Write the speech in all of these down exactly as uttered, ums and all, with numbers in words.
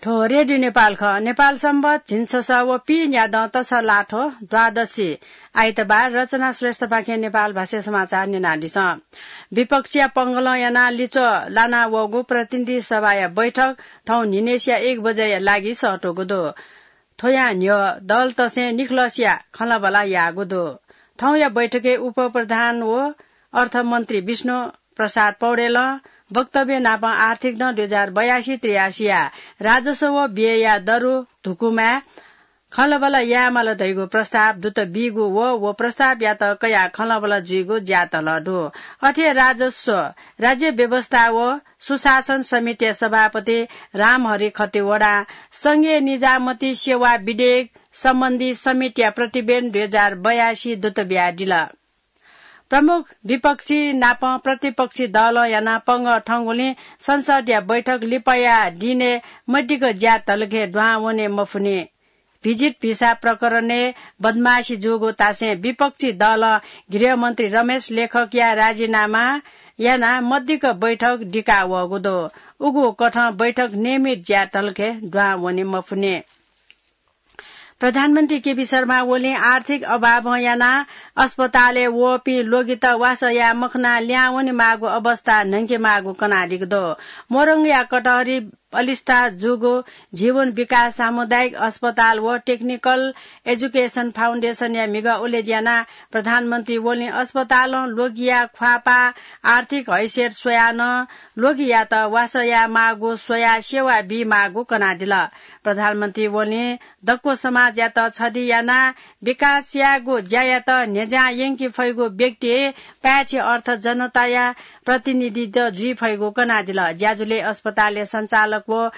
थ्व रेडियो नेपाल खः। नेपाल संवत झिंछसः व पीन्यादँ तसलाथ्व द्वादशी आइतबार। रचना श्रेष्ठपाखें नेपाल भाषा समाचार न्यनादिसँ। विपक्षया पंगलं यानाः लिच्वः लानावःगु प्रतिनिधि सभाया बैठक थौं न्हिनय्सिया एक बजेया लागि सःतूगु दु। थ्वया न्ह्यः दलतसें निखलसया खँल्हाबल्हा याःगु दु। थौंया बैठकय् उपप्रधान व अर्थमन्त्री विष्णु प्रसाद पौडेलं वक्तव्य नापं आर्थिक दँ दुई हजार बयासी त्रियासीया राजस्व व व्ययया दरु धुकुमाय् खँल्हाबल्हा यायेमाल धइगु प्रस्ताव दुत बीगु व, व प्रस्तावयात कयाः खँल्हाबल्हा जुइगु ज्यातल दु। अथे राजस्व, राज्य व्यवस्था व सुशासन समितिया सभापति रामहरि खतिवडां संघीय निजामती सेवा विधेयक सम्बन्धी समितिया प्रतिवेदन दुई हजार बयासी दुत बियादिल। प्रमुख विपक्षी नाप प्रतिपक्षी दलं यानाः पंगः थंगुलिं संसदया बैठक लिपाया दिनय् मदिक्क ज्यातलखे दुहां वने मफुनि। भिजिट भिसा प्रकरणय् बदमासी जूगु तासें विपक्षी दलं गृहमन्त्री रमेश लेखकया राजीनामा यानाः मदिक्क बैठक दिकावःगु दु। उगु कथं बैठक नियमित ज्यातलखे दुहां वने मफुनि। प्रधानमन्त्री केपी शर्मा ओलीं आर्थिक अभावं यानाः अस्पतालय् वःपिं ल्वगित वासः याये मखनाः लिहां वनेमाःगु अवस्था न्हंकेमाःगु कनादीगु दु। मोरङया कटहरी अलिस्था जूगु जीवन विकास सामुदायिक अस्पताल व टेक्निकल एजुकेसन फाउन्डेसनया म्हिगः उलेज्यानाः प्रधानमन्त्री ओलीं अस्पतालं ल्वगिया ख्वाःपाः आर्थिक हैसियत स्वयाः नं ल्वगियात वासः यायेमाःगु स्वयाः सेवा बीमाःगु कनादिल। प्रधानमन्त्री ओलीं दक्व समाजयात छधी यानाः विकास यायेगु ज्यायात न्ह्यज्यां यंके फइगु व्यक्ति पाय्छि अर्थ जनताया प्रतिनिधित्व जुइ फइगु कनादिल। ज्याझ्वलय् अस्पतालया सञ्चालक व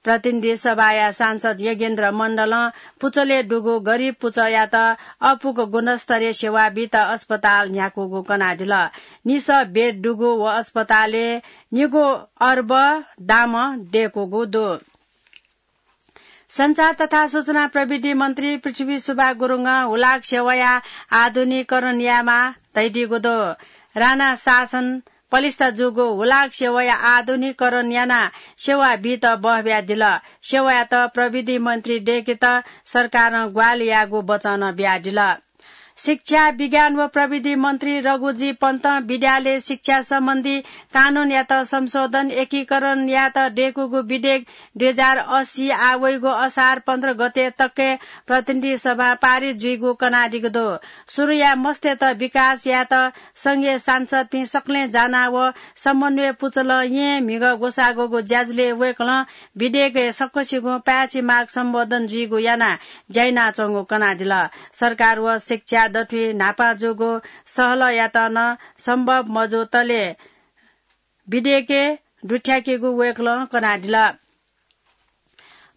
प्रतिनिधि सभाया सांसद योगेन्द्र मण्डलं पुचलय् दुगु गरिब पुचःयात अःपुक गुणस्तरीय सेवा बीत अस्पताल न्ह्याकूगु कनादिल। निसः बेड दुगु व अस्पतालय् निगू अर्ब दाम दय्कूगु दु। सञ्चार तथा सूचना प्रविधि मन्त्री पृथ्वीशुभा गुरुङं हुलाक सेवाया आधुनिकीकरण यायेमाः धयादीगु दु। राणा शासन पलिस्था जूगु हुलाक सेवाया आधुनिकीकरण यानाः सेवा बीत बहबियादिल। सेवायात प्रविधि मन्त्री दय्केत सरकारं ग्वाहालि याःगु वचन बियादिल। शिक्षा, विज्ञान व प्रविधि मन्त्री रघुजी पन्तं विद्यालय शिक्षा सम्बन्धी कानूनयात संशोधन, एकीकरण यायेत दय्कूगु विधेयक दुई हजार अस्सी आः वइगु असार पन्ध्र गते तकय् प्रतिनिधि सभां पारित जुइगु कनादीगु दु। सुरुया मस्तय्त विकास यायेत संघीय सांसदपिं सकलें जानाः व समन्वय पुचलं येँ म्हिगः ग्वसाः ग्वःगु ज्याझ्वलय् वय्कलं विधेयकय् सकसिगुं पाय्छि माग सम्बोधन जुइगु यानाः ज्या यानाच्वंगु कनादिल। सरकार व शिक्षा दथुइ न्हापां जूगु सहलहयात नं सम्भव मजूतले विधेयकय् दुथ्याकेगु वय्कलं कनादिल।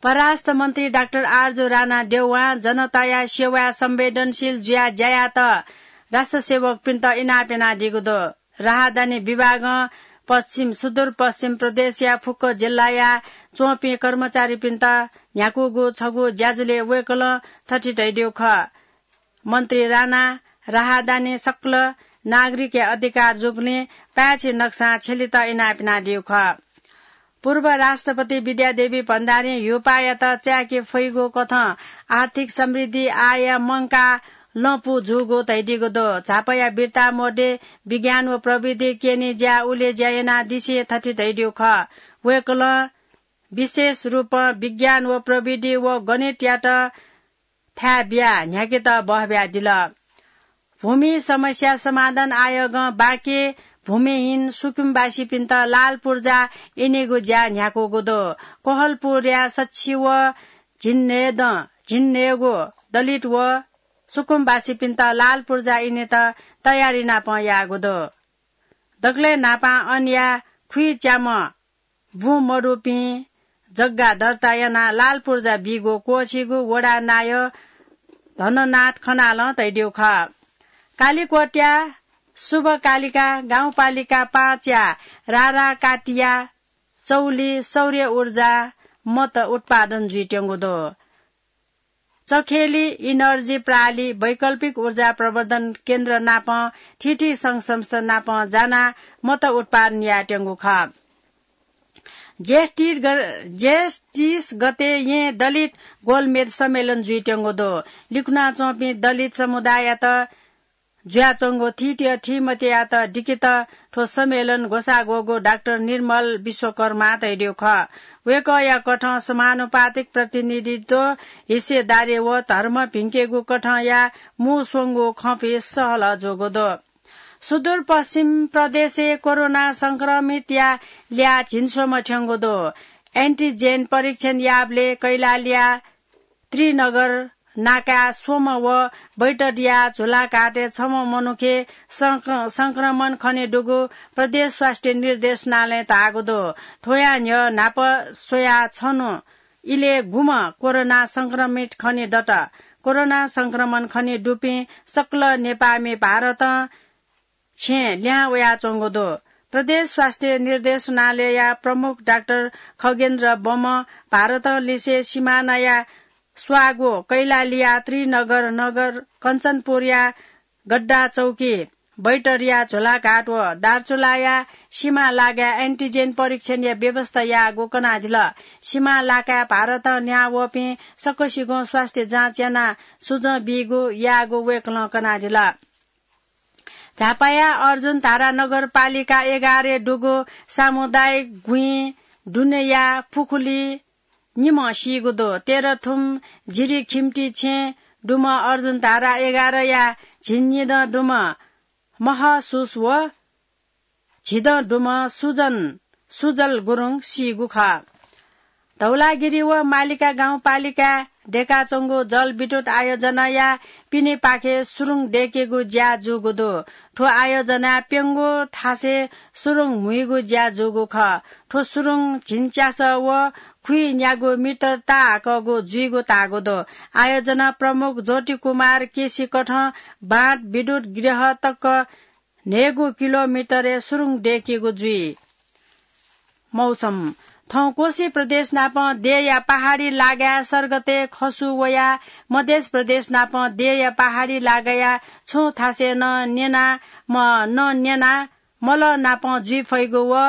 परराष्ट्र मन्त्री डाक्टर आरजु राणा देउवां जनताया सेवाय् संवेदनशील जुयाः ज्या यायेत राष्ट्र सेवकपिन्त इनाप यानादीगु दु। राहदानी विभागं पश्चिम, सुदूरपश्चिम प्रदेशया फुक्क जिल्लाया च्वंपिं कर्मचारीपिन्त न्ह्याकूगु छगू ज्याझ्वलय् वय्कलं थथे धयादीगु खः। मन्त्री राणा राहदानी सकल नागरिकया अधिकार जूगुलिं पाय्छि नकसां छ्यलेत इनाप यानादीगु खः। पूर्व राष्ट्रपति विद्यादेवी भण्डारीं ह्युपायात चाय्के फइगु कथं आर्थिक समृद्धि आःया मंकाः लँपु जूगु धयादीगु दु। झापाया बिर्ता मध्ये विज्ञान व प्रविधि केनी ज्या उलेज्या यानादिसें थथे धयादीगु खः। वय्कलं विशेष रूपं विज्ञान व प्रविधि व गणितयात थाय् बियाः न्ह्याकेत बहबियादिल। भूमि समस्या समाधान आयोगं बाँके भूमिहीन सुकुमवासीपिन्त लाल पूर्जा इनेगु ज्या न्ह्याकूगु दु। कोहलपुरया सच्छि व झिंन्हय्दँ, झिंन्हय्गू दलित व सुकुमवासीपिन्त लाल पूर्जा इनेत तयारी नापं याःगु दु। दकलय् न्हापां अनया खुइच्याम्ह बुँ मदुपिं जग्गा दर्ता यानाः लाल पूर्जा बीगु क्वःछिगू वडा नायः धननाथ खनालं धयादीगु खः। कालिकोटया शुभकालिका गाउँपालिका पाँचया राराकाटिया चौली सौर्य ऊर्जा मत उत्पादन जुइत्यंगु दु। चखेली इनर्जी प्राली वैकल्पिक ऊर्जा प्रवर्धन केन्द्र नापं थीथी संघ संस्था नापं जानाः मत उत्पादन यायेत्यंगु खः। जेठ तीस ग-, जेठ तीस गते येँ दलित गोलमेज सम्मेलन जुइत्यंगु दु। लिकुनाच्वंपिं दलित समुदाययात जुयाच्वंगु थीथी थीमतेयात दिकेत थ्व सम्मेलन ग्वसाः ग्वःगु डाक्टर निर्मल विश्वकर्मां धयादीगु खः। वय्कःया कथं समानुपातिक प्रतिनिधित्व, हिस्सेदारी व धर्म भिंकेगु कथंया मू स्वंगू खँपिं सहलह जूगु दु। सुदूरपश्चिम प्रदेशय् कोरोना संक्रमितया ल्याः झिंस्वम्ह थ्यंगु दु। एन्टिजेन परीक्षण याःबलय् कैलालीया त्रिनगर नाकाय् स्वम्ह व बैतडीया झुलाघाटय् छम्ह मनुखे संक्र-, संक्रमण खने दुगु प्रदेश स्वास्थ्य निर्देशनालयं धाःगु दु। थ्वया न्ह्यः न्हापा स्वयाः छन्हु इलय् गुम्ह कोरोना संक्रमित खने दत। कोरोना संक्रमण खने दुपिं सकल नेपाःमि भारतं छेँ लिहां वयाच्वंगु दु। प्रदेश स्वास्थ्य निर्देशनालयया प्रमुख डाक्टर खगेन्द्र बमं भारतं लिसे सिमानाया स्वाःगु कैलालीया त्रिनगर नगर, कञ्चनपुरया गड्डा चौकी, बैतडीया झुलाघाट व दार्चुलाया सिमा लागाय् एन्टिजेन परीक्षणया व्यवस्था याःगु कनादिल। सिमा लागाय् भारतं लिहां वःपिं सकसिगुं स्वास्थ्य जाँच यानाः सुझाव बीगु याःगु वय्कलं कनादिल। झापाया अर्जुनधारा नगरपालिका एघारय् दुगु सामुदायिक गुँइ दुनेया पुखुली निम्ह सीगु दु। तेह्रथुम जिरी खिम्टी छेँ दुम्ह अर्जुनधारा एघारया झिंनिदँ दुम्ह महसुस व झिदँ दुम्ह सुजन, सुजल गुरुङ सीगु खः। धौलागिरी व मालिका गाउँपालिकाय् दयेकाच्वंगु जलविद्युत आयोजनाया पिनेपाखे सुरुङ दयेकेगु ज्या जूगु दु। थ्व आयोजनाय् प्यंगू थासय् सुरुङ म्हुइगु ज्या जूगु खः। थ्व सुरुङ झिंच्यासः व खुइन्यागू मिटर ताहाकःगु जुइगु धाःगु दु। आयोजना प्रमुख ज्योति कुमार केसी कथं बाँध विद्युत गृह तक न्हय्गू किलोमिटरय् सुरुङ दयेकेगु जुइ। मौसम। थौं कोशी प्रदेश नाप देय्‌या पहाडी लागाय् सर्गतय् खसु वयाः मध्य प्रदेश नाप देय्‌या पहाडी लागाया छुं थासय् नं न्यना म-, नं न्यना मलः नाप जुइ फइगु व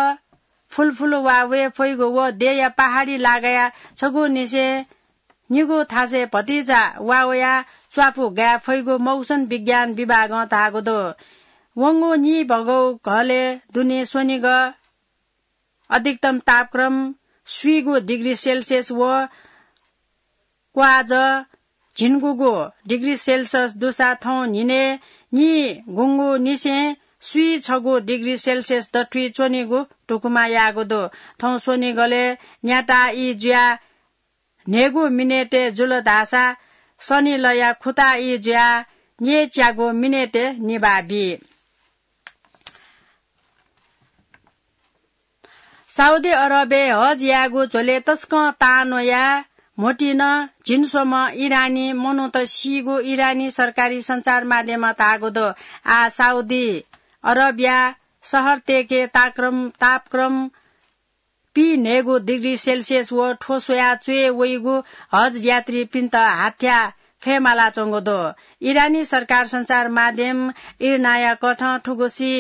फुलफुल वा वये फइगु व देय्‌या पहाडी लागाया छगू निसें निगू थासय् भतिचा वा वयाः च्वापु गाये फइगु मौसम विज्ञान विभागं धाःगु दु। वंगु नीभगौ घलय् दुने स्वनिगः अधिकतम तापक्रम स्वीगू डिग्री सेल्सियस व क्वाःजः झिंगूगू डिग्री सेल्सियस दुसा थौं न्हिनय् नीगूगु निसें स्वीछगू डिग्री सेल्सियस दथुइ च्वनीगु धुकुमा याःगु दु। थौं स्वनिगलय् न्याता ई जुयाः न्हय्गू मिनेटय् जुल धाःसा सनिलया खुता ई जुयाः न्यय्च्यागू मिनेटय् निभाः बी। साउदी अरबय् हज यायेगु झ्वलय् तसकं तां न्वयाः म्होतिन झिंस्वम्ह इरानी मनूत सीगु इरानी सरकारी सञ्चार माध्यमं धाःगु दु। आः साउदी अरबया शहरतय्‌के ताक्रम, तापक्रम पीन्हय्गू डिग्री सेल्सियस व थ्व स्वयाः च्वय् वइगु हज यात्रीपिन्त हाथ्या फय्मालाच्वंगु दु। इरानी सरकार सञ्चार माध्यम इर्नाया कथं थुगुसी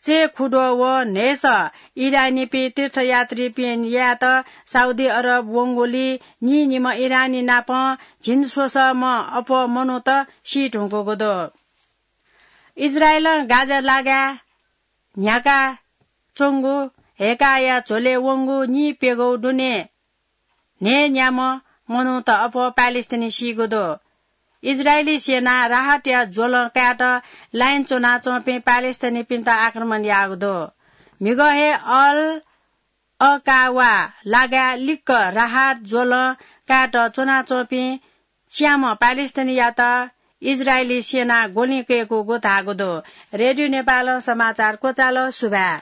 चय्‌खुद्वः व न्हय्सः इरानीपिं तीर्थयात्रीपिं यायेत साउदी अरब वंगुलिइ नीनिम्ह इरानी नाप झिंस्वसःम्ह अप्वः मनूत सी धुंकूगु दु। इजरायलं गाजा लागाय् न्ह्याका च्वंगु हय्काया झ्वलय् वंगु नीप्यघौ दुने न्हय्‌न्याम्ह मनूत अप्वः प्यालेस्टिनी सीगु दु। इजरायली सेनां राहतया ज्वलं कायेत लाइन च्वनाच्वंपिं प्यालेस्टिनीपिन्त आक्रमण याःगु दु। म्हिगः हे अल अकावा लागाय् लिक्क राहत ज्वलं कायेत च्वनाच्वंपिं च्याम्ह प्यालेस्टिनीयात इजरायली सेनां ग्वलिं कय्‌कूगु धाःगु दु। रेडियो नेपालं समाचार क्वचाल। सुभाय्।